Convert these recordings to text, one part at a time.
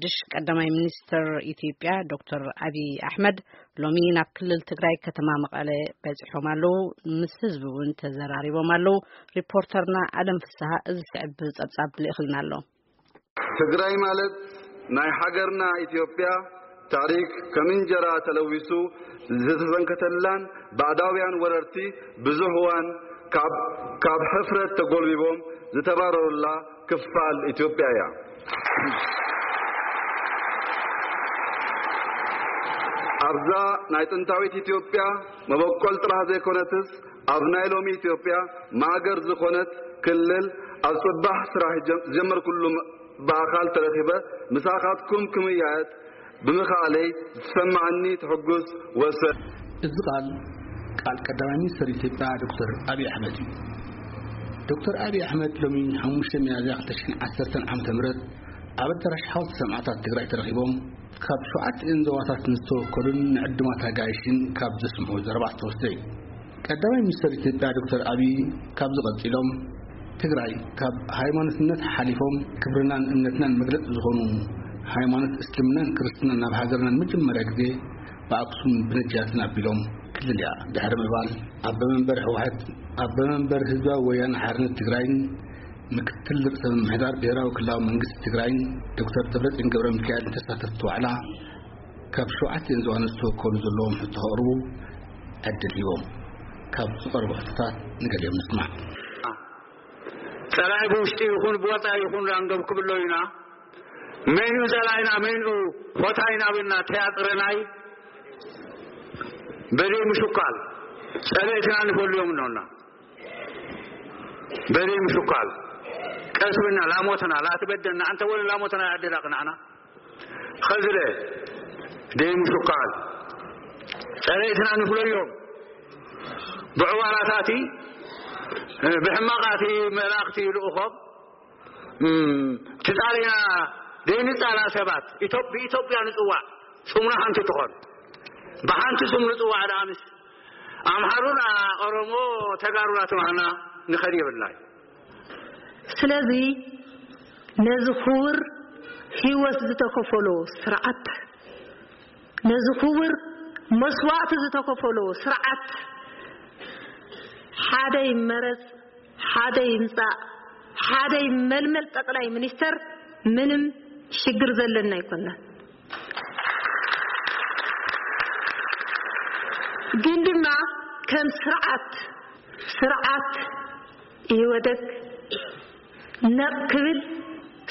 ሓድሽ ቀዳማይ ሚኒስትር ኢትዮጵያ ዶክተር ኣብይ ኣሕመድ ሎሚ ናብ ክልል ትግራይ ከተማ መቐለ በጺሖም ኣለዉ። ምስ ህዝቢ እውን ተዘራሪቦም ኣለዉ። ሪፖርተርና ኣለም ፍስሃ እዚ ስዕብ ጸብጻብ ልእኽልና ኣሎ። ትግራይ ማለት ናይ ሃገርና ኢትዮጵያ ታሪክ ከም እንጀራ ተለዊሱ ዝተሰንከተላን ባዕዳውያን ወረርቲ ብዙሕ እዋን ካብ፣ ካብ ሕፍረት ተጎልቢቦም ዝተባረሩላ ክፋል ኢትዮጵያ እያ። ኣብዛ ናይ ጥንታዊት ኢትዮጵያ መበቆል ጥራሕ ዘይኮነትስ ኣብ ናይ ሎሚ ኢትዮጵያ ማእገር ዝኾነት ክልል ኣብ ጽባሕ ስራሕ ጀም-፣ ዝጀመርኩሉ ም-፣ ብኣኻል ተረኺበ ምሳኻትኩም ክምያየጥ ብምኽኣለይ ዝሰማዓኒ ትሕጉስ ወሰን። እዚ ቃል፣ ቃል ቀዳማይ ሚኒስትር ኢትዮጵያ ዶክተር ኣብይ ኣሕመድ እዩ። ዶክተር ኣብይ ኣሕመድ ሎሚ ሓሙሽተ ሚያዝያ ክልተ ሽሕን ዓሰርተን ዓመተ ምህረት ኣብ ኣዳራሽ ሓወልቲ ሰማዕታት ትግራይ ተረኺቦም ካብ ሸውዓተ እየን ዞባታት ንዝተወከሉን ንዕዱማት ኣጋይሽን ካብ ዘስምዑ ዘረባ ዝተወስደ እዩ። ቀዳማይ ሚኒስትር ኢትዮጵያ ዶክተር ኣብይ ካብዚ ቀጺሎም፣ ትግራይ ካብ ሃይማኖትነት ሓሊፎም ክብርናን እምነትናን መግለጺ ዝኾኑ ሃይማኖት እስልምናን ክርስትናን ናብ ሃገርና ንመጀመርያ ግዜ ብኣክሱም ብነጃትን ኣቢሎም ክልል እያ ድሕሪ ምባል፣ ኣቦ መንበር ህወሓት፣ ኣቦ መንበር ህዝባዊ ወያነ ሓርነት ትግራይን ምክትል ርእሰ ምምሕዳር ብሄራዊ ክልላዊ መንግስቲ ትግራይን ዶክተር ደብረጽዮን ገብረ ሚካኤል ንተሳተፍቲ ዋዕላ ካብ ሸውዓተ እየን ዞባን ዝተወከሉ ዘለዎም ሕቶ ከቕርቡ ዕድል ሂቦም። ካብ ዝቐርቡ ሕቶታት ንገሊኦም ንስማዕ። ጸላኢ ብውሽጢ ይኹን ብወጻኢ ይኹን ራንዶም ክብሎ ኢና። መን እዩ ጸላኢና፣ መን እዩ ፎታይና ብልና ተያጥረናይ በደይ ምሽኳል ጸለእትና ንፈልዮም ነውና። በደይ ምሽኳል ቀስ ብልና ላሞትና ላትበደና፣ ኣንተ ወለ ላሞትና ያደላ ቅናዕና። ኸዝለ ደይ ምሽኳል ጸለእትና ንፍለዮም። ብዕዋላታቲ፣ ብሕማቓቲ መላእኽቲ ልኡኾም፣ እም፣ ትጻለያ ደይ ንጻላ ሰባት፣ ኢትዮ-፣ ብኢትዮጵያ ንጽዋዕ፣ ስሙና ሓንቲ ትኾን። ብሓንቲ ስም ንጽዋዕ ደኣ ምስ ኣምሓሩን ኦሮሞ ተጋሩና ተማህና ንኸድ የብልናይ። ስለዚ ነዚ ክቡር ህይወት ዝተከፈሎ ስርዓት፣ ነዚ ክቡር መስዋእቲ ዝተከፈሎ ስርዓት ሓደ ይመረጽ፣ ሓደ ይምጻእ፣ ሓደ ይመልመል ጠቅላይ ሚኒስተር ምንም ሽግር ዘለና ኣይኮናን። ግን ድማ ከም ስርዓት፣ ስርዓት ኢህወደግ ነቕ ክብል፣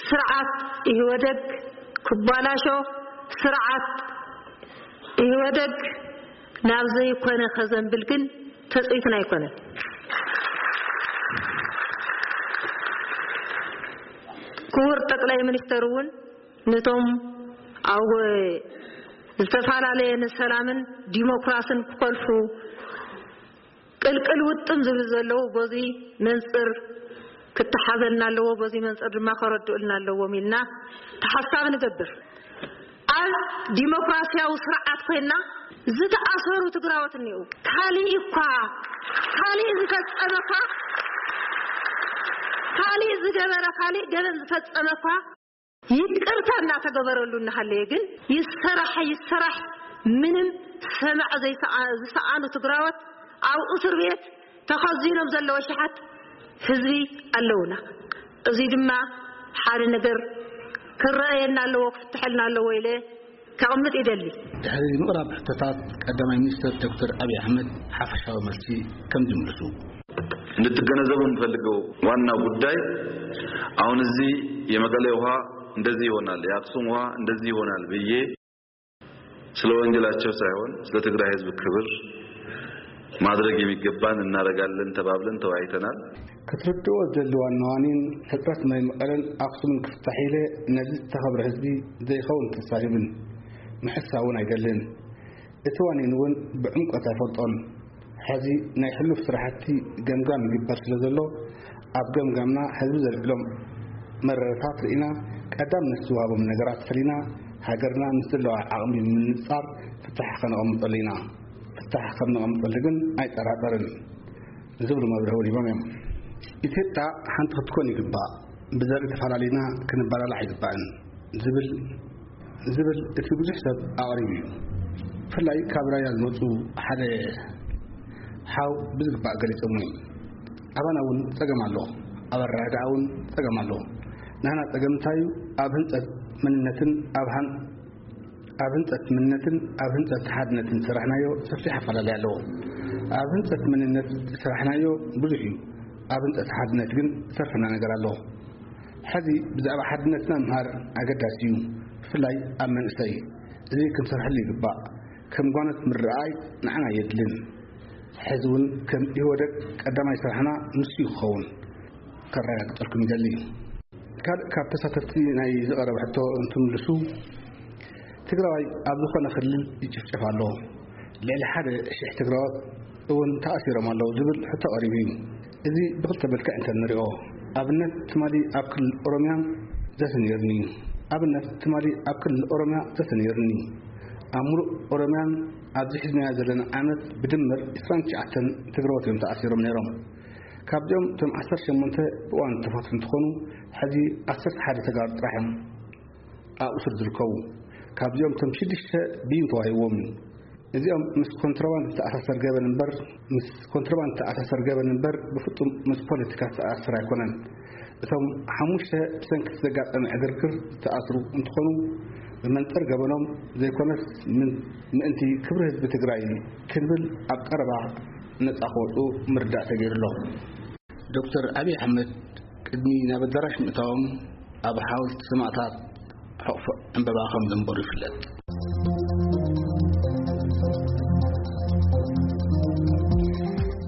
ስርዓት ኢህወደግ ክባላሾ፣ ስርዓት ኢህወደግ ናብ ዘይኮነ ከዘንብል ግን ተጽኢትና ኣይኮነን። ክቡር ጠቅላይ ሚኒስተር እውን ነቶም ኣብ ዝተፈላለየ ንሰላምን ዲሞክራስን ክኮልፉ ቅልቅል ውጥም ዝብል ዘለዉ በዚ መንጽር ክተሓዘልና ኣለዎ፣ በዚ መንጽር ድማ ከረድኡልና ኣለዎም ኢልና ተሓሳብ ንገብር። ኣብ ዲሞክራሲያዊ ስርዓት ኮይና ዝተኣሰሩ ትግራዎት እኒኡ። ካሊእ እኳ፣ ካሊእ ዝፈጸመ እኳ፣ ካሊእ ዝገበረ፣ ካሊእ ገበን ዝፈጸመ እኳ ይቅርታ እናተገበረሉ እናሃለየ ግን ይሰራሕ ይሰራሕ ምንም ሰማዕ ዘይሰኣ-፣ ዝሰኣኑ ትግራዎት ኣብ እስር ቤት ተኸዚኖም ዘለዎ ሸሓት ህዝቢ ኣለውና። እዚ ድማ ሓደ ነገር ክረኣየና ኣለዎ፣ ክፍትሐልና ኣለዎ ኢለ ከቕምጥ ይደሊ። ድሕሪ ምቕራብ ሕቶታት ቀዳማይ ሚኒስትር ዶክተር ኣብይ ኣሕመድ ሓፈሻዊ መልሲ ከም ዝምልሱ። እንድትገነዘቡ የምፈልገው ዋና ጉዳይ አሁን እዚህ የመቀሌ ውሃ እንደዚህ ይሆናል፣ የአክሱም ውሃ እንደዚህ ይሆናል ብዬ ስለ ወንጀላቸው ሳይሆን ስለ ትግራይ ህዝብ ክብር ማድረግ የሚገባን እናደርጋለን ተባብለን ተወያይተናል። ክትርድኦ ዝደሊ ዋና ዋኒን ሕፅረት ማይ መቐለን ኣክሱምን ክፍታሕ ኢለ ነዚ ዝተኸብረ ህዝቢ ዘይኸውን ተሳሂብን ምሕሳ እውን ኣይደልን። እቲ ዋኒን እውን ብዕምቆት ኣይፈልጦን። ሕዚ ናይ ሕሉፍ ስራሕቲ ገምጋም ይግበር ስለ ዘሎ ኣብ ገምጋምና ህዝቢ ዘልዕሎም መረረታት ርኢና ቀዳምነት ዝወሃቦም ነገራት ፈሊና ሃገርና ምስ ዘለዋ ዓቕሚ ምንጻር ፍታሕ ከነቐምጠሉ ኢና። ፍታሕ ከም ነቐምጠሉ ግን ኣይጠራጠርን። ዝብሉ መብርሂ እውን ሂቦም እዮም። ኢትዮጵያ ሓንቲ ክትኮን ይግባእ፣ ብዘርኢ ተፈላለዩና ክንበላላዕ ኣይግባእን ዝብል ዝብል እቲ ብዙሕ ሰብ ኣቕሪቡ እዩ። ብፍላይ ካብ ራያ ዝመፁ ሓደ ሓው ብዝግባእ ገሊፆም እዮም። ኣባና እውን ፀገም ኣሎ፣ ኣብ ኣረዳድኣ እውን ፀገም ኣሎ። ናህና ፀገም እንታይ እዩ? ኣብ ህንፀት መንነትን ኣብ ሃን ኣብ ህንፀት መንነትን ኣብ ህንፀት ሓድነትን ዝሰራሕናዮ ሰፊሕ ኣፈላለይ ኣለዎ። ኣብ ህንፀት መንነት ዝሰራሕናዮ ብዙሕ እዩ። ኣብ ህንፀት ሓድነት ግን ዝሰርፈና ነገር ኣሎ። ሕዚ ብዛዕባ ሓድነትና ምሃር ኣገዳሲ እዩ፣ ብፍላይ ኣብ መንእሰይ። እዚ ክንሰርሐሉ ይግባእ። ከም ጓነት ምርኣይ ንዓና የድልን። ሕዚ እውን ከም ኢህወደግ ቀዳማይ ስራሕና ንሱ ይኸውን። ከረጋግጠልኩም ይደሊ። ካልእ ካብ ተሳተፍቲ ናይ ዝቐረበ ሕቶ እንትምልሱ፣ ትግራዋይ ኣብ ዝኾነ ክልል ይጭፍጨፍ ኣሎ፣ ልዕሊ ሓደ ሽሕ ትግራዎት እውን ተኣሲሮም ኣለዉ ዝብል ሕቶ ቀሪቡ እዩ። እዚ ብክልተ መልክዕ እንተ ንሪኦ፣ ኣብነት ትማሊ ኣብ ክልል ኦሮሚያ ዘተ ነይርኒ እዩ። ኣብነት ትማሊ ኣብ ክልል ኦሮሚያ ዘተ ነይርኒ። ኣብ ሙሉእ ኦሮሚያን ኣብዚ ሒዝናዮ ዘለና ዓመት ብድምር ዕስራን ትሽዓተን ትግራዎት እዮም ተኣሲሮም ነይሮም። ካብዚኦም እቶም ዓሰርተ ሸሞንተ ብእዋን ተፈትሑ እንትኾኑ፣ ሕዚ ዓሰርተ ሓደ ተጋሩ ጥራሕ እዮም ኣብ እሱር ዝርከቡ። ካብዚኦም እቶም ሽዱሽተ ብይን ተዋሂብዎም እዩ። እዚኦም ምስ ኮንትሮባንድ ዝተኣሳሰር ገበን እምበር ምስ ኮንትሮባንድ ዝተኣሳሰር ገበን እምበር ብፍጹም ምስ ፖለቲካ ዝተኣሳሰር ኣይኮነን። እቶም ሓሙሽተ ብሰንኪ ዘጋጠመ ዕግርግር ዝተኣስሩ እንትኾኑ፣ ብመንጽር ገበኖም ዘይኮነስ ምን-፣ ምእንቲ ክብሪ ህዝቢ ትግራይ ክንብል ኣብ ቀረባ ነጻ ክወጹ ምርዳእ ተገይሩ ኣሎ። ዶክተር ኣብይ ኣሕመድ ቅድሚ ናብ ኣዳራሽ ምእታዎም ኣብ ሓወልቲ ሰማእታት ሕቑፎ ዕምበባ ከም ዘንበሩ ይፍለጥ።